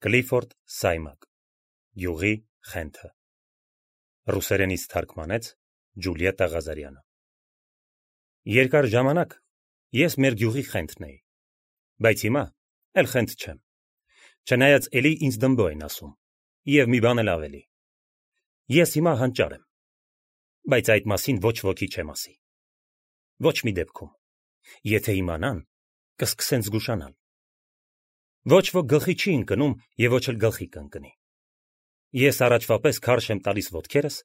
Կլիֆորդ Սայմակ Գյուղի խենթը Ռուսերենից թարգմանեց Ջուլիետտա Ղազարյանը Երկար ժամանակ ես մեր գյուղի խենթն էի, բայց հիմա էլ խենթ չեմ, չնայած էլի ինձ դմբո են ասում, և մի բան էլ ավելի, ես հիմա հանճար եմ, բայց այդ մասին ոչ ոքի չեմ ասի, ոչ մի դեպքում, եթե իմանան, կսկսեն զգուշանալ, ոչ ոք գլխի չի ընկնում և ոչ էլ գլխի կընկնի, ես առաջվա պես քարշ եմ տալիս ոտքերս,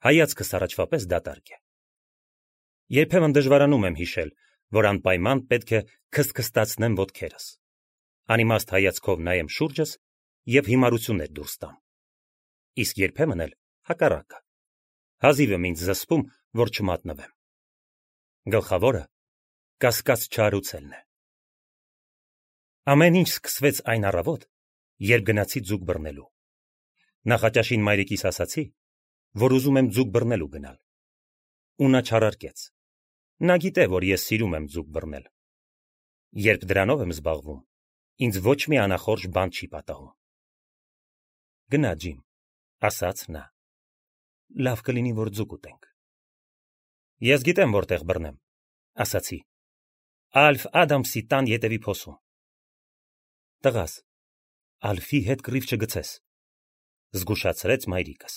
հայացքս առաջվա պես դատարկ է, երբեմն դժվարանում եմ հիշել, որ անպայման պետք է քստքստացնեմ ոտքերս, անիմաստ հայացքով նայեմ շուրջս և հիմարություններ դուրս տամ, իսկ երբեմն էլ հակառակը, հազիվ եմ ինձ զսպում, որ չմատնվեմ, գլխավորը կասկած չարուցելն է, ամեն ինչ սկսվեց այն առավոտ, երբ գնացի ձուկ բռնելու, նախաճաշին մայրիկիս ասացի, որ ուզում եմ ձուկ բռնելու գնալ, ու նա չարարկեց, նա գիտե, որ ես սիրում եմ ձուկ բռնել, երբ դրանով եմ զբաղվում, ինձ ոչ մի անախորժ բան չի պատահում, գնա ջիմ, ասաց նա, լավ կլինի, որ ձուկ ուտենք, ես գիտեմ որտեղ բռնեմ, ասացի, Ալֆ Ադամսի տան ետևի փոսում, տղաս, Ալֆի հետ կռիվ չգցես, զգուշացրեց մայրիկս,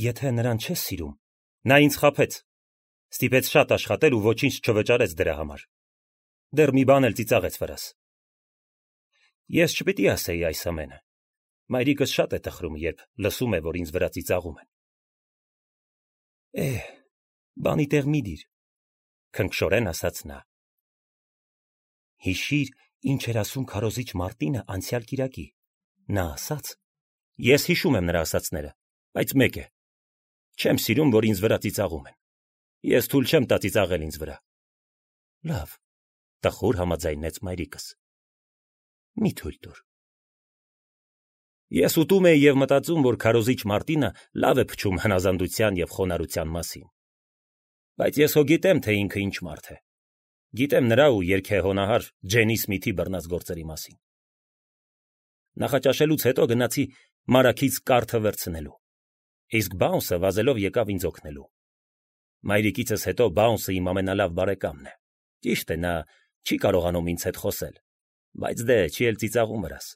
եթե նրան չես սիրում, նա ինձ խաբեց, ստիպեց շատ աշխատել ու ոչինչ չվճարեց դրա համար, դեռ մի բան էլ ծիծաղեց վրաս, ես չպիտի ասեի այս ամենը, մայրիկս շատ է տխրում, երբ լսում է, որ ինձ վրա ծիծաղում են, բանի տեղ մի դիր, քնքշորեն ասաց նա, հիշիր, ինչ էր ասում քարոզիչ Մարտինը անցյալ կիրակի, նա ասաց, ես հիշում եմ նրա ասածները, բայց մեկ է, չեմ սիրում, որ ինձ վրա ծիծաղում են, ես թույլ չեմ տա ծիծաղել ինձ վրա, լավ, տխուր համաձայնեց մայրիկս, մի թույլ տուր, ես ուտում էի և մտածում, որ քարոզիչ Մարտինը լավ է փչում հնազանդության և խոնարհության մասին, բայց ես հո գիտեմ, թե ինքը ինչ մարդ է, գիտեմ նրա ու երգեհոնահար Ջենի Սմիթի բռնած գործերի մասին, նախաճաշելուց հետո գնացի մարաքից կարթը վերցնելու, իսկ Բաունսը վազելով եկավ ինձ օգնելու, մայրիկիցս հետո Բաունսը իմ ամենալավ բարեկամն է, ճիշտ է, նա չի կարողանում ինձ հետ խոսել, բայց դե չի էլ ծիծաղում վրաս,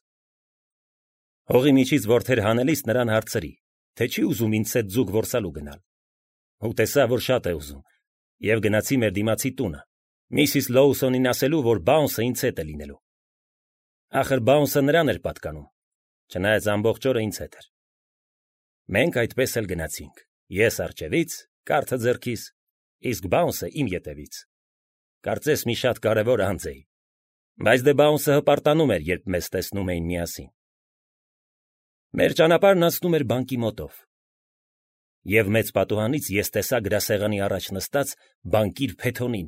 հողի միջից որդեր հանելիս նրան հարցրի, թե չի ուզում ինձ հետ ձուկ որսալու գնալ, ու տեսա, որ շատ է ուզում, և գնացի մեր դիմացի տունը, Միսիս Լոուսոնին ասելու, որ Բաունսը ինձ հետ է լինելու, ախր Բաունսը նրան էր պատկանում, չնայած ամբողջ օրը ինձ հետ էր, մենք այդպես էլ գնացինք, ես առջևից, կարթը ձեռքիս, իսկ Բաունսը իմ ետևից, կարծես մի շատ կարևոր անձ էի, բայց դե Բաունսը հպարտանում էր, երբ մեզ տեսնում էին միասին, մեր ճանապարհն անցնում էր բանկի մոտով, և մեծ պատուհանից ես տեսա գրասեղանի առաջ նստած բանկիր Փեթոնին,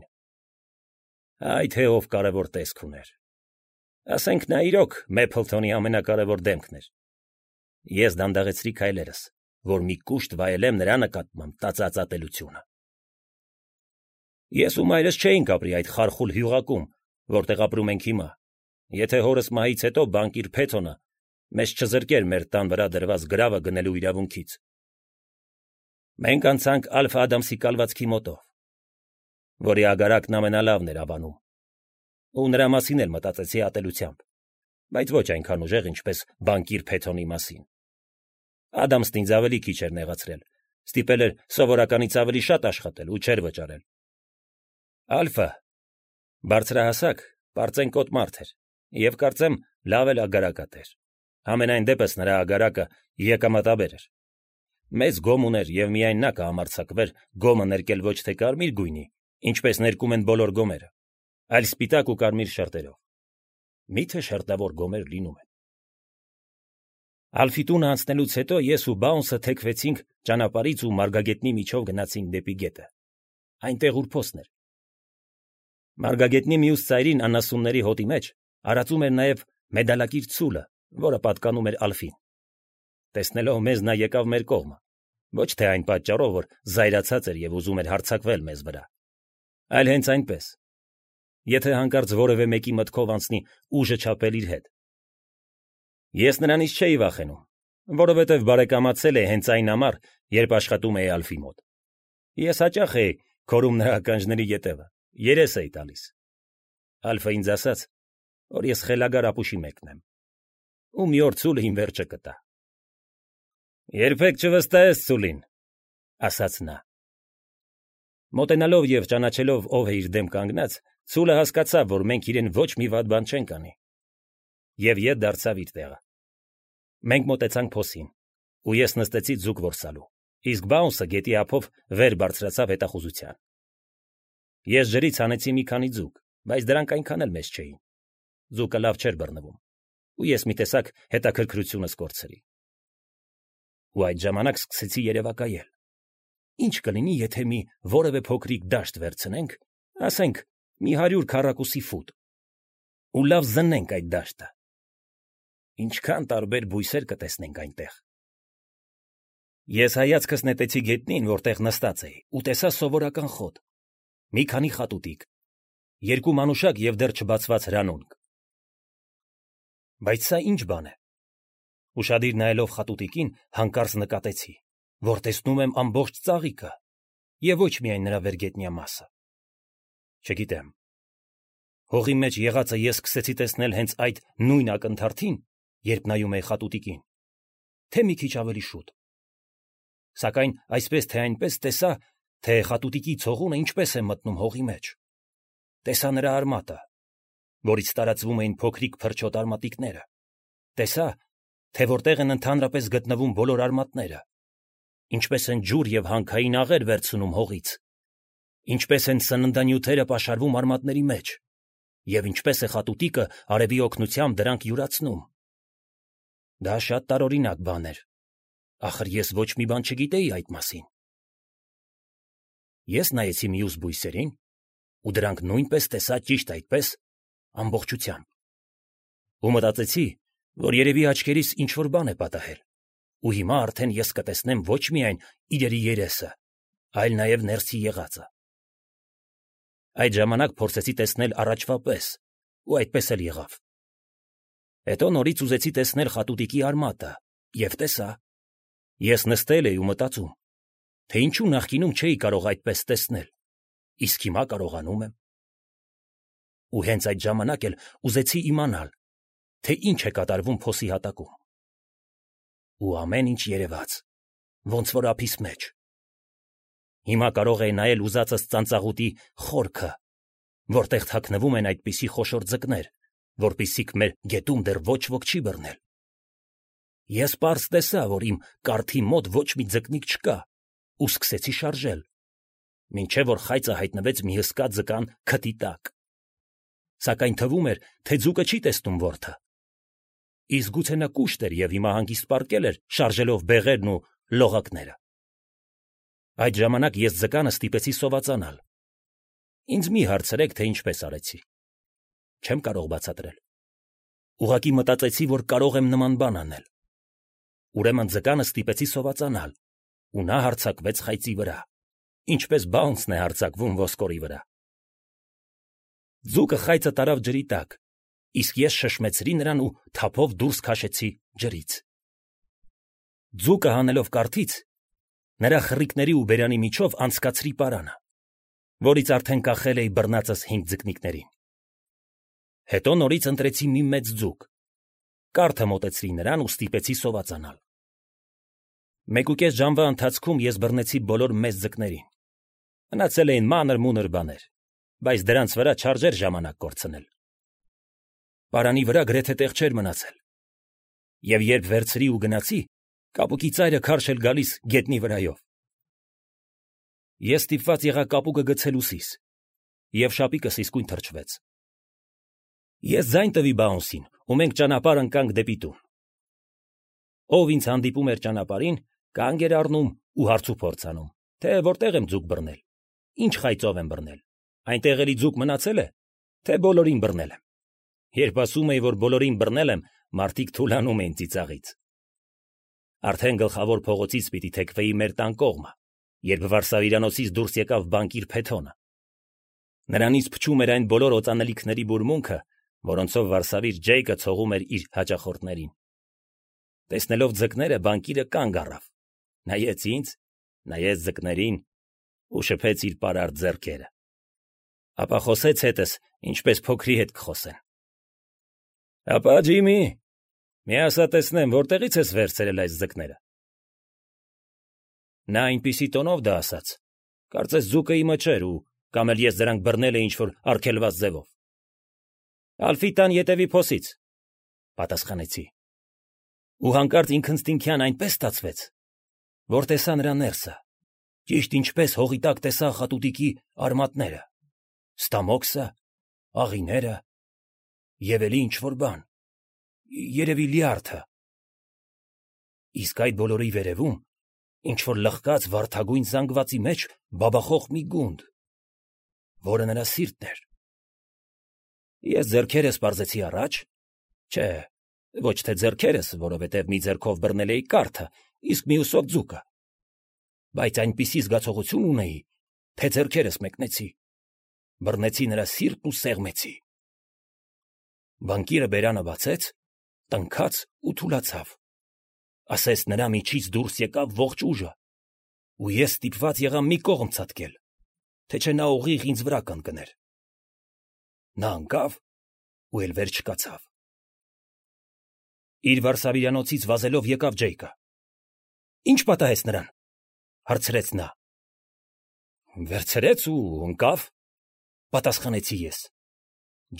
այ թե ով կարևոր տեսք ուներ, ասենք նա իրոք Մեփլթոնի ամենակարևոր դեմքն էր, ես դանդաղեցրի քայլերս, որ մի կուշտ վայելեմ նրա նկատմամբ տածած ատելությունը, ես ու մայրս չէինք ապրի այդ խարխուլ հյուղակում, որտեղ ապրում ենք հիմա, եթե հորս մահից հետո բանկիր Փեթոնը մեզ չզրկեր մեր տան վրա դրված գրավը գնելու իրավունքից, մենք անցանք Ալֆ Ադամսի կալվածքի մոտով, որի ագարակն ամենալավն էր Ավանում, ու նրա մասին էլ մտածեցի ատելությամբ, բայց ոչ այնքան ուժեղ, ինչպես բանկիր Փեթոնի մասին, Ադամսն ինձ ավելի քիչ էր նեղացրել, ստիպել էր սովորականից ավելի շատ աշխատել ու չէր վճարել, Ալֆը բարձրահասակ, պարծենկոտ մարդ էր, և կարծեմ լավ էլ ագարակատ էր, համենայն դեպս նրա ագարակը եկամտաբեր էր, մեծ գոմ ուներ և միայն նա կհամարձակվեր գոմը ներկել ոչ թե կարմիր գույնի, ինչպես ներկում են բոլոր գոմերը, այլ սպիտակ ու կարմիր շերտերով, միթե շերտավոր գոմեր լինում են, Ալֆի տունը անցնելուց հետո ես ու Բաունսը թեքվեցինք ճանապարհից ու Մարգագետնի միջով գնացինք դեպի գետը, այնտեղ ուր փոսն էր, Մարգագետնի մյուս ծայրին անասունների հոտի մեջ արածում էր նաև մեդալակիր ցուլը, որը պատկանում էր Ալֆին, տեսնելով մեզ նա եկավ մեր կողմը, ոչ թե այն պատճառով, որ զայրացած էր և ուզում էր հարձակվել մեզ վրա, այլ հենց այնպես, եթե հանկարծ որևէ մեկի մտքով անցնի ուժը չափել իր հետ, Ես նրանից չէի վախենում, որովհետև բարեկամացել է հենց այն համար, երբ աշխատում էի Ալֆի մոտ։ Ես հաճախ էի քորում նրա ականջների ետևը, երես էի տալիս։ Ալֆը ինձ ասաց, որ ես խելագար ապուշի մեկն եմ, ու մի օր ցուլը իմ վերջը կտա։ Երբեք չվստահես ցուլին, ասաց նա։ Մոտենալով և ճանաչելով ով է իր դեմ կանգնած, ցուլը հասկացավ, որ մենք իրեն ոչ մի վատ բան չենք անի, և ետ դարձավ իր տեղը։ Մենք մոտեցանք փոսին, ու ես նստեցի ձուկ որսալու, իսկ Բաունսը գետի ափով վեր բարձրացավ հետախուզության։ Ես ջրից հանեցի մի քանի ձուկ, բայց դրանք այնքան էլ մեծ չէին։ Ձուկը լավ չէր բռնվում, ու ես մի տեսակ հետաքրքրությունս կորցրի։ Ու այդ ժամանակ սկսեցի երևակայել. ինչ կլինի, եթե մի որևէ փոքրիկ դաշտ վերցնենք, ասենք մի 100 քառակուսի ֆուտ, ու լավ զննենք այդ դաշտը։ Ինչքան տարբեր բույսեր կտեսնենք այնտեղ։ Ես հայացքս նետեցի գետնին, որտեղ նստած էի, ու տեսա սովորական խոտ, մի քանի խատուտիկ, 2 մանուշակ և դեռ չբացված հրանունք։ Բայց սա ինչ բան է։ Ուշադիր նայելով խատուտիկին, հանկարծ նկատեցի, որ տեսնում եմ ամբողջ ծաղիկը և ոչ միայն նրա վերգետնյա մասը։ Չգիտեմ, հողի մեջ եղածը ես սկսեցի տեսնել հենց այդ նույն ակնթարթին, երբ նայում էի խատուտիկին, թե մի քիչ ավելի շուտ։ Սակայն այսպես թե այնպես տեսա, թե խատուտիկի ցողունը ինչպես է մտնում հողի մեջ։ Տեսա նրա արմատը, որից տարածվում էին փոքրիկ փրչոտ արմատիկները։ Տեսա, թե որտեղ են ընդհանրապես գտնվում բոլոր արմատները, ինչպես են ջուր և հանքային աղեր վերցնում հողից, ինչպես են սննդանյութերը պաշարվում արմատների մեջ, և ինչպես է խատուտիկը արևի օգնությամբ դրանք յուրացնում։ Դա շատ տարօրինակ բան էր, ախր ես ոչ մի բան չգիտեի այդ մասին։ Ես նայեցի մյուս բույսերին, ու դրանք նույնպես տեսա ճիշտ այդպես, ամբողջությամբ։ Ու մտածեցի, որ երևի աչքերիս ինչ-որ բան է պատահել, ու հիմա արդեն ես կտեսնեմ ոչ միայն իրերի երեսը, այլ նաև ներսի եղածը։ Այդ ժամանակ փորձեցի տեսնել առաջվա պես, ու այդպես էլ եղավ։ Հետո նորից ուզեցի տեսնել խատուտիկի արմատը, և տեսա։ Ես նստել էի ու մտածում, թե ինչու նախկինում չէի կարող այդպես տեսնել, իսկ հիմա կարողանում եմ։ Ու հենց այդ ժամանակ էլ ուզեցի իմանալ, թե ինչ է կատարվում փոսի հատակում։ Ու ամեն ինչ երևաց, ոնց որ ափիս մեջ։ Հիմա կարող էի նայել ուզածս ծանծաղուտի խորքը, որտեղ թաքնվում են այդպիսի խոշոր ձկներ, որպիսիք մեր գետում դեռ ոչ ոք չի բռնել։ Ես պարզ տեսա, որ իմ կարթի մոտ ոչ մի ձկնիկ չկա, ու սկսեցի շարժել, մինչև որ խայծը հայտնվեց մի հսկա ձկան քթի տակ։ Սակայն թվում էր, թե ձուկը չի տեսնում որդը։ Իսկ գուցե նա կուշտ էր և հիմա հանգիստ պառկել էր, շարժելով բեղերն ու լողակները։ Այդ ժամանակ ես ձկանը ստիպեցի սովածանալ։ Ինձ մի հարցրեք, թե ինչպես արեցի։ Չեմ կարող բացատրել։ Ուղղակի մտածեցի, որ կարող եմ նման բան անել։ Ուրեմն ձկանը ստիպեցի սովածանալ, ու նա հարձակվեց խայծի վրա, ինչպես Բաունսն է հարձակվում ոսկորի վրա։ Ձուկը խայծը տարավ ջրի տակ, իսկ ես շշմեցրի նրան ու թափով դուրս քաշեցի ջրից։ Ձուկը հանելով կարթից, նրա խռիկների ու բերանի միջով անցկացրի պարանը, որից արդեն կախել էի բռնածս 5 ձկնիկներին։ Հետո նորից ընտրեցի մի մեծ ձուկ, կարթը մոտեցրի նրան ու ստիպեցի սովածանալ։ 1.5 ժամվա ընթացքում ես բռնեցի բոլոր մեծ ձկներին։ Մնացել էին մանր-մունր բաներ, բայց դրանց վրա չարժեր ժամանակ կորցնել։ Պարանի վրա գրեթե տեղ չէր մնացել։ Եվ երբ վերցրի ու գնացի, կապուկի ծայրը քարշ էր գալիս գետնի վրայով։ Ես ստիպված եղա կապուկը գցել ուսիս, և շապիկս իսկույն թրջվեց։ Ես ձայն տվի Բաունսին, ու մենք ճանապարհ ընկանք դեպի տուն։ Ով ինձ հանդիպում էր ճանապարհին, կանգ էր առնում ու հարցուփորձ անում, թե որտեղ եմ ձուկ բռնել, ինչ խայծով եմ բռնել, այնտեղ էլի ձուկ մնացել է, թե բոլորին բռնել եմ։ Երբ ասում էի, որ բոլորին բռնել եմ, մարդիկ թուլանում էին ծիծաղից։ Արդեն գլխավոր փողոցից պիտի թեքվեի մեր տան կողմը, երբ վարսավիրանոցից դուրս եկավ բանկիր Փեթոնը։ Նրանից փչում էր այն բոլոր օծանելիքների բուրմունքը, որոնցով Վարսավիր Ջեյկը ցողում էր իր հաճախորդներին։ Տեսնելով ձկները, բանկիրը կանգ առավ, նայեց ինձ, նայեց ձկներին ու շփեց իր պարարտ ձեռքերը։ Ապա խոսեց հետս, ինչպես փոքրի հետ կխոսեն։ Ապա Ջիմի, մի ասա տեսնեմ, որտեղից ես վերցրել այս ձկները։ Նա այնպիսի տոնով դա ասաց, կարծես ձուկը իմը չէր ու կամ էլ ես դրանք բռնել էի ինչ-որ արգելված ձևով։ Ալֆիտան ետևի փոսից, պատասխանեցի։ Ու հանկարծ ինքնստինքյան այնպես ստացվեց, որ տեսա նրա ներսը, ճիշտ ինչպես հողի տակ տեսա խատուտիկի արմատները, ստամոքսը, աղիները և էլի ինչ-որ բան, երևի լյարդը։ Իսկ այդ բոլորի վերևում ինչ-որ լխկած վարդագույն զանգվածի մեջ բաբախող մի գունդ, որը նրա սիրտն էր։ Ես ձեռքերս պարզեցի առաջ, չէ, ոչ թե ձեռքերս, որովհետև մի ձեռքով բռնել էի կարթը, իսկ մյուսով ձուկը, բայց այնպիսի զգացողություն ունեի, թե ձեռքերս մեկնեցի, բռնեցի նրա սիրտն ու սեղմեցի։ Բանկիրը բերանը բացեց, տնքաց ու թուլացավ, ասես նրա միջից դուրս եկավ ողջ ուժը, ու ես ստիպված եղա մի կողմ ցատկել, թե չէ նա ուղիղ ինձ վրա կընկներ։ Նա ընկավ ու էլ վեր չկացավ։ Իր վարսավիրանոցից վազելով եկավ Ջեյկը։ Ինչ պատահեց նրան, հարցրեց նա։ Վերցրեց ու ընկավ, պատասխանեցի ես։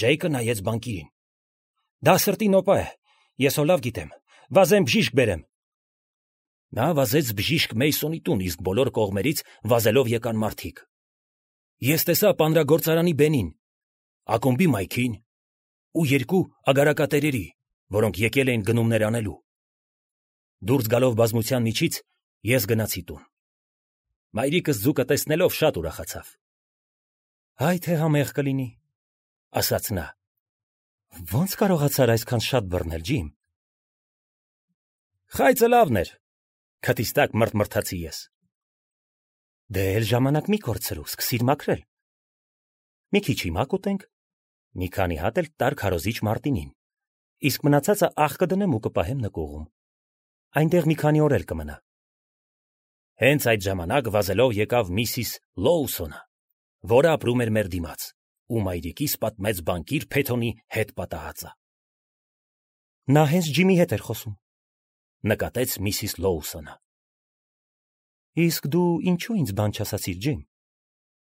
Ջեյկը նայեց բանկիրին։ Դա սրտի նոպա է, ես հո լավ գիտեմ, վազեմ բժիշկ բերեմ։ Նա վազեց բժիշկ Մեյսոնի տուն, իսկ բոլոր կողմերից վազելով եկան մարդիկ։ Ես տեսա պանրագործարանի բենին, ակումբի Մայքին ու երկու ագարակատերերի, որոնք եկել էին գնումներ անելու։ Դուրս գալով բազմության միջից ես գնացի տուն։ Մայրիկս ձուկը տեսնելով շատ ուրախացավ։ Այ թե համեղ կլինի, ասաց նա։ Ոնց կարողացար այսքան շատ բռնել, Ջիմ։ Խայծը լավն էր, քթից տակ մրթմրթացի ես։ Դե էլ ժամանակ մի կորցրու, սկսիր մաքրել։ Մի քիչ հիմա կուտենք, մի քանի հատ էլ տար քարոզիչ Մարտինին, իսկ մնացածը աղ կդնեմ ու կպահեմ նկուղում։ Այնտեղ մի քանի օր էլ կմնա։ Հենց այդ ժամանակ վազելով եկավ միսիս Լոուսոնը, որը ապրում էր մեր դիմաց, ու մայրիկիս պատմեց բանկիր Փեթոնի հետ պատահածը։ Նա հենց Ջիմի հետ էր խոսում, նկատեց միսիս Լոուսոնը։ Իսկ դու ինչու ինձ բան չասացիր, Ջիմ,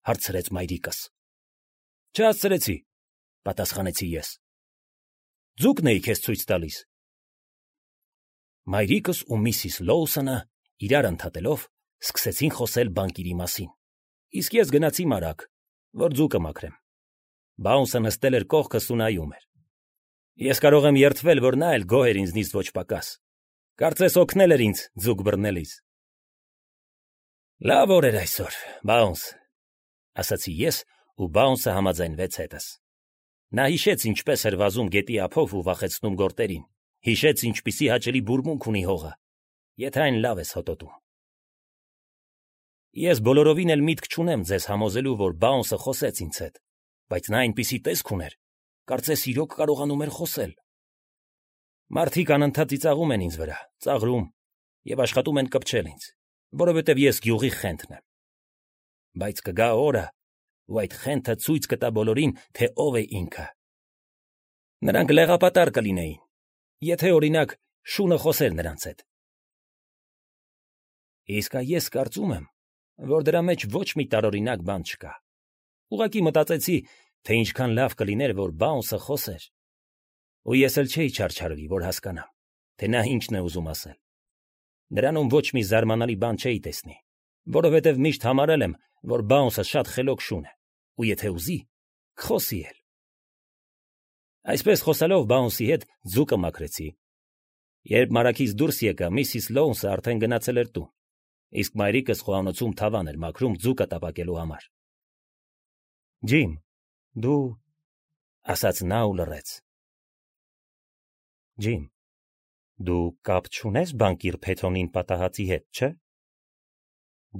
հարցրեց մայրիկս։ Չհասցրեցի, պատասխանեցի ես։ Ձուկն էի քեզ ցույց տալիս։ Մայրիկս ու միսիս Լոուսոնը իրար ընդհատելով սկսեցին խոսել բանկիրի մասին, իսկ ես գնացի մարակ, որ ձուկը մաքրեմ։ Բաունսը նստել էր կողքս ու նայում էր։ Ես կարող եմ երդվել, որ նա էլ գոհ էր ինձնից ոչ պակաս։ Կարծես օգնել էր ինձ ձուկ բռնելիս։ Լավ օր էր այսօր, Բաունս, ասացի ես, ու Բաունսը համաձայնվեց հետս։ Նա հիշեց ինչպես էր վազում գետի ափով ու վախեցնում գորտերին, հիշեց ինչպիսի հաճելի բուրմունք ունի հողը, եթե այն լավ ես հոտոտում։ Ես բոլորովին էլ միտք չունեմ ձեզ համոզելու, որ Բաունսը խոսեց ինձ հետ, բայց նա այնպիսի տեսք ուներ, կարծես իրոք կարողանում էր խոսել։ Մարդիկ անընդհատ ծիծաղում են ինձ վրա, ծաղրում և աշխատում են կպչել ինձ, որովհետև ես գյուղի խենթն եմ։ Բայց կգա օրը, ու այդ խենթը ցույց կտա բոլորին, թե ով է ինքը։ Նրանք լեղապատար կլինեին, եթե օրինակ շունը խոսեր նրանց հետ։ Իսկ ես կարծում եմ, որ դրա մեջ ոչ մի տարօրինակ բան չկա։ Ուղղակի մտածեցի, թե ինչքան լավ կլիներ, որ Բաունսը խոսեր։ Ու ես էլ չէի չարչարվի, որ հասկանամ, թե նա ինչն է ուզում ասել։ Նրանում ոչ մի զարմանալի բան չէի տեսնի, որովհետև միշտ համարել եմ, որ Բաունսը շատ խելոք շուն է, ու եթե ուզի, կխոսի էլ։ Այսպես խոսալով Բաունսի հետ ձուկը մաքրեցի։ Երբ մարաքից դուրս եկա, միսիս Լոունսը արդեն գնացել էր տուն, իսկ մայրիկս խոհանոցում թավան էր մաքրում ձուկը տապակելու համար։ Ջիմ, դու, ասաց նա ու լռեց։ Ջիմ, դու կապ չունես բանկիր Փեթոնին պատահածի հետ, չէ՞։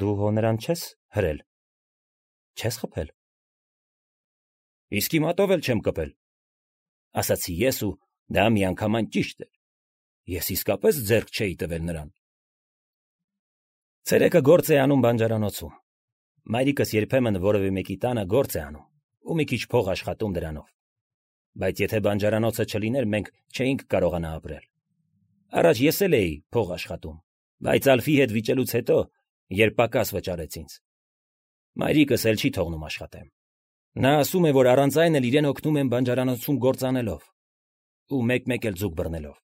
Դու հո նրան չես հրել, չես խփել։ Իսկ իմատով էլ չեմ կպել, ասացի ես ու դա միանգամայն ճիշտ էր։ Ես իսկապես ձեռք չէի տվել նրան։ Ցերեկը գործ է անում բանջարանոցում։ Մայրիկս երբեմն որևէ մեկի տանը գործ է անում ու մի քիչ փող աշխատում դրանով։ Բայց եթե բանջարանոցը չլիներ, մենք չէինք կարողանա ապրել։ Առաջ ես էլ էի փող աշխատում, բայց Ալֆի հետ վիճելուց հետո, երբ պակաս վճարեց ինձ, մայրիկս էլ չի թողնում աշխատեմ։ Նա ասում է, որ առանց այն էլ իրեն օգնում եմ բանջարանոցում գործ անելով ու մեկ-մեկ էլ ձուկ բռնելով։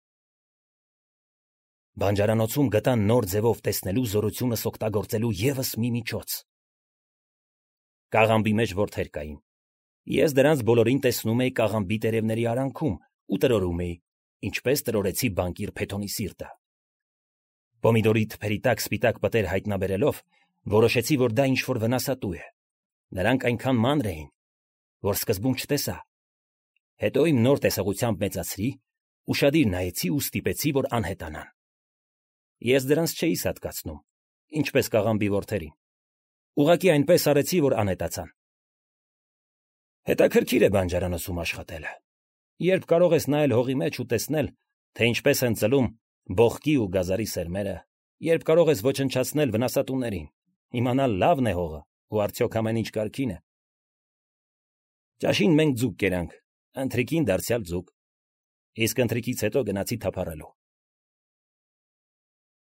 Բանջարանոցում գտա նոր ձևով տեսնելու զորությունս օգտագործելու ևս մի միջոց։ Կաղամբի մեջ որդեր կային։ Ես դրանց բոլորին տեսնում էի կաղամբի տերևների արանքում ու տրորում էի, ինչպես տրորեցի բանկիր Փեթոնի սիրտը։ Պոմիդորի թփերի տակ սպիտակ պտեր հայտնաբերելով, որոշեցի, որ դա ինչ-որ վնասատու է։ Նրանք այնքան մանր էին, որ սկզբում չտեսա։ Հետո իմ նոր տեսողությամբ մեծացրի, ուշադիր նայեցի ու ստիպեցի, որ անհետանան։ Ես դրանց չէի սատկացնում, ինչպես կաղամբի որդերին։ Ուղղակի այնպես արեցի, որ անհետացան։ Հետաքրքիր է բանջարանոցում աշխատելը։ Երբ կարող ես նայել հողի մեջ ու տեսնել, թե ինչպես են ծլում բողկի ու գազարի սերմերը, երբ կարող ես ոչնչացնել վնասատուներին, իմանալ լավն է հողը ու արդյոք ամեն ինչ կարգին է։ Ճաշին մենք ձուկ կերանք, ընթրիքին դարձյալ ձուկ, իսկ ընթրիքից հետո գնացի թափառելու։